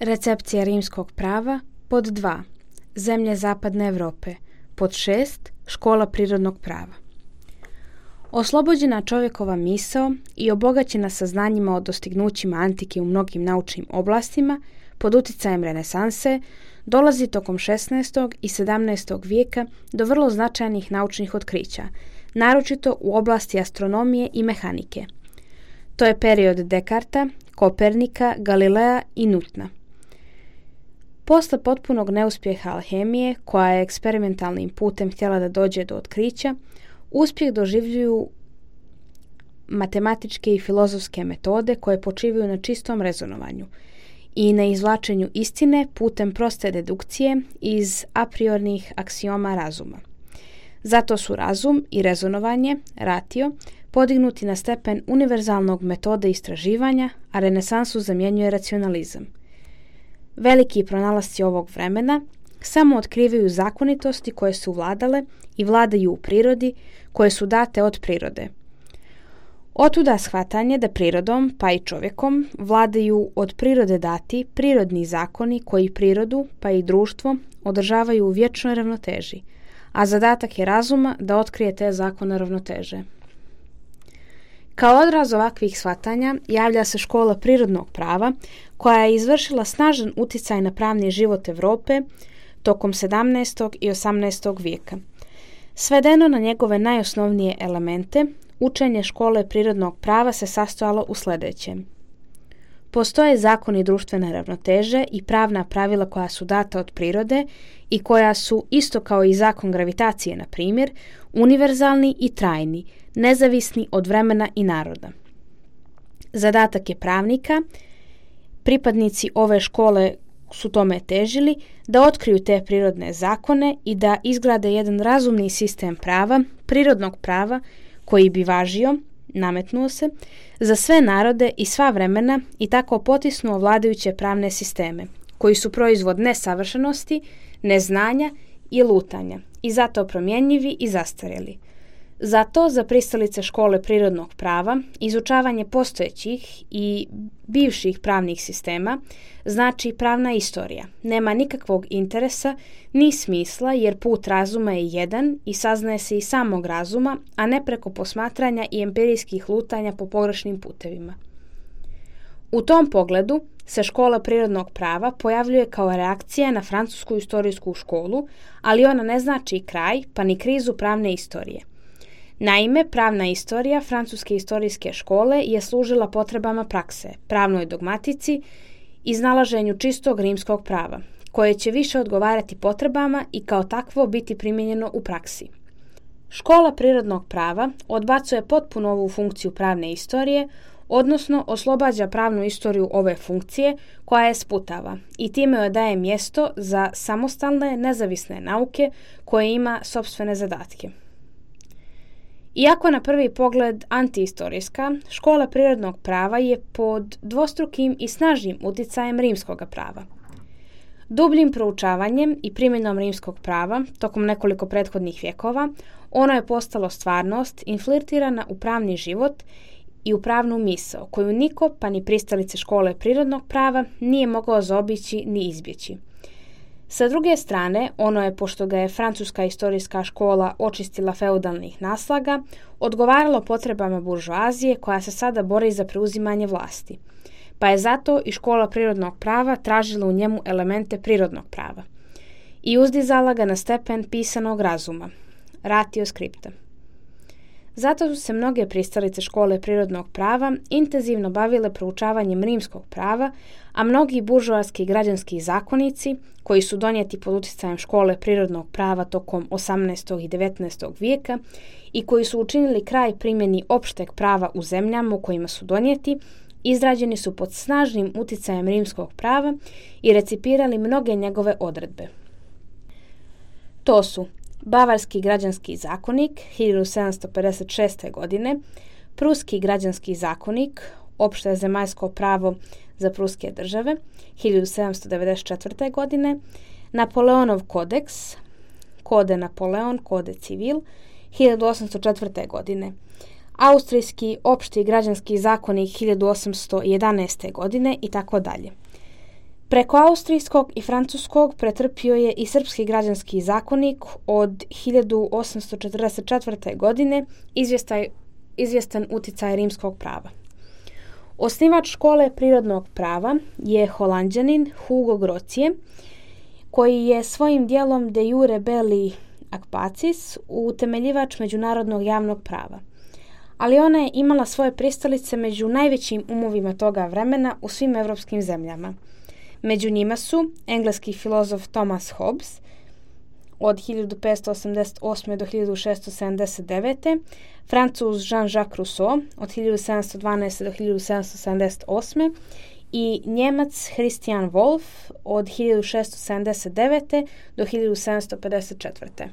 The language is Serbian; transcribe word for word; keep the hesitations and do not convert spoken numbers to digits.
Recepcija rimskog prava. Pod dva. Zemlje zapadne Europe. Pod šest. Škola prirodnog prava. Oslobođena čovjekova misao i obogaćena saznanjima o dostignućima antike u mnogim naučnim oblastima, pod utjecajem renesanse, dolazi tokom šesnaestog i sedamnaestog vijeka do vrlo značajnih naučnih otkrića, naročito u oblasti astronomije i mehanike. To je period Descartesa, Kopernika, Galilea i Newtona. Posle potpunog neuspjeha alhemije, koja je eksperimentalnim putem htjela da dođe do otkrića, uspjeh doživljuju matematičke i filozofske metode koje počivaju na čistom rezonovanju i na izvlačenju istine putem proste dedukcije iz a priornih aksioma razuma. Zato su razum i rezonovanje, ratio, podignuti na stepen univerzalnog metode istraživanja, a renesansu zamjenjuje racionalizam. Veliki pronalasci ovog vremena samo otkrivaju zakonitosti koje su vladale i vladaju u prirodi, koje su date od prirode. Otuda shvatanje da prirodom, pa i čovjekom, vladaju od prirode dati prirodni zakoni koji prirodu, pa i društvo, održavaju u vječnoj ravnoteži, a zadatak je razuma da otkrije te zakone ravnoteže. Kao odraz ovakvih shvatanja javlja se škola prirodnog prava, koja je izvršila snažan utjecaj na pravni život Europe tokom sedamnaestog i osamnaestog vijeka. Svedeno na njegove najosnovnije elemente, učenje škole prirodnog prava se sastojalo u sljedećem. Postoje zakoni društvene ravnoteže i pravna pravila koja su data od prirode i koja su, isto kao i zakon gravitacije, na primjer, univerzalni i trajni, nezavisni od vremena i naroda. Zadatak je pravnika, pripadnici ove škole su tome težili, da otkriju te prirodne zakone i da izgrade jedan razumni sistem prava, prirodnog prava, koji bi važio, nametnuo se, za sve narode i sva vremena i tako potisnuo vladajuće pravne sisteme, koji su proizvod nesavršenosti, neznanja i lutanja i zato promjenjivi i zastarjeli. Zato za pristalice škole prirodnog prava izučavanje postojećih i bivših pravnih sistema znači pravna istorija. Nema nikakvog interesa ni smisla jer put razuma je jedan i saznaje se iz samog razuma, a ne preko posmatranja i empirijskih lutanja po pogrešnim putevima. U tom pogledu se škola prirodnog prava pojavljuje kao reakcija na francusku istorijsku školu, ali ona ne znači kraj pa ni krizu pravne istorije. Naime, pravna istorija francuske istorijske škole je služila potrebama prakse, pravnoj dogmatici, iznalaženju čistog rimskog prava, koje će više odgovarati potrebama i kao takvo biti primijenjeno u praksi. Škola prirodnog prava odbacuje potpuno ovu funkciju pravne istorije, odnosno oslobađa pravnu istoriju ove funkcije koja je sputava i time joj daje mjesto za samostalne, nezavisne nauke koje ima sopstvene zadatke. Iako na prvi pogled antiistorijska, škola prirodnog prava je pod dvostrukim i snažnim utjecajem rimskog prava. Dubljim proučavanjem i primjenom rimskog prava tokom nekoliko prethodnih vjekova, ono je postalo stvarnost infiltrirana u pravni život i u pravnu misao, koju niko, pa ni pristalice škole prirodnog prava, nije mogao zaobići ni izbjeći. Sa druge strane, ono je, pošto ga je francuska istorijska škola očistila feudalnih naslaga, odgovaralo potrebama buržoazije koja se sada bori za preuzimanje vlasti. Pa je zato i škola prirodnog prava tražila u njemu elemente prirodnog prava i uzdizala ga na stepen pisanog razuma, ratio scripta. Zato su se mnoge pristalice škole prirodnog prava intenzivno bavile proučavanjem rimskog prava, a mnogi buržoarski građanski zakonici, koji su donijeti pod utjecajem škole prirodnog prava tokom osamnaestog i devetnaestog vijeka i koji su učinili kraj primjeni opšteg prava u zemljama u kojima su donijeti, izrađeni su pod snažnim utjecajem rimskog prava i recipirali mnoge njegove odredbe. To su Bavarski građanski zakonik hiljadu sedamsto pedeset šeste. godine, Pruski građanski zakonik, opšte zemaljsko pravo za pruske države, hiljadu sedamsto devedeset četvrte. godine, Napoleonov kodeks, Kode Napoleon, Kode Civil, hiljadu osamsto četvrte. godine, Austrijski opšti građanski zakonik hiljadu osamsto jedanaeste. godine i tako dalje. Preko austrijskog i francuskog pretrpio je i srpski građanski zakonik od hiljadu osamsto četrdeset četvrte. godine, izvjestaj, izvjestan uticaj rimskog prava. Osnivač škole prirodnog prava je Holanđanin Hugo Grocije, koji je svojim dijelom De jure belli ac pacis utemeljivač međunarodnog javnog prava. Ali ona je imala svoje pristalice među najvećim umovima toga vremena u svim evropskim zemljama. Među njima su engleski filozof Thomas Hobbes od hiljadu petsto osamdeset osme. do hiljadu šessto sedamdeset devete. Francuz Jean-Jacques Rousseau od hiljadu sedamsto dvanaeste. do hiljadu sedamsto sedamdeset osme. i Njemac Christian Wolff od hiljadu šessto sedamdeset devete. do hiljadu sedamsto pedeset četvrte.